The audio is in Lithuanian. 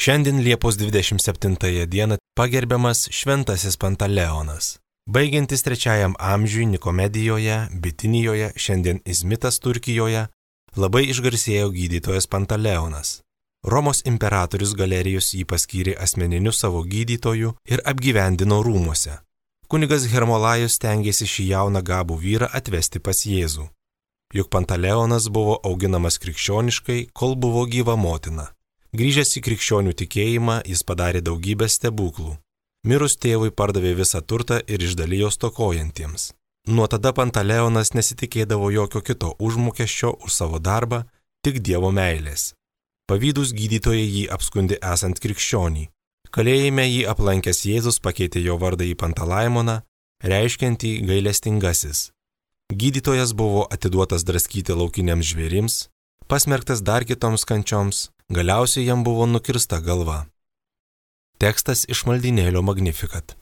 Šiandien Liepos 27 dieną pagerbiamas Šventasis Pantaleonas. Baigiantis 3 amžiui Nikomedijoje, Bitinijoje, šiandien Izmitas Turkijoje, labai išgarsėjo gydytojas Pantaleonas. Romos imperatorius Galerijus jį paskyrė asmeniniu savo gydytoju ir apgyvendino rūmuose. Kunigas Hermolajus stengėsi šį jauną gabų vyrą atvesti pas Jėzų. Juk Pantaleonas buvo auginamas krikščioniškai, kol buvo gyva motina. Grįžęs į krikščionių tikėjimą, jis padarė daugybę stebuklų. Mirus tėvui pardavė visą turtą ir išdalijo stokojantiems. Nuo tada Pantaleonas nesitikėdavo jokio kito užmokesčio už savo darbą, tik Dievo meilės. Pavydūs gydytojai jį apskundė esant krikščionį. Kalėjime jį aplankęs Jėzus pakeitė jo vardą į Pantalaimoną, reiškiantį gailestingasis. Gydytojas buvo atiduotas draskyti laukiniams žvėrims, pasmerktas dar kitoms kančioms, galiausiai jam buvo nukirsta galva. Tekstas iš maldynėlio Magnificat.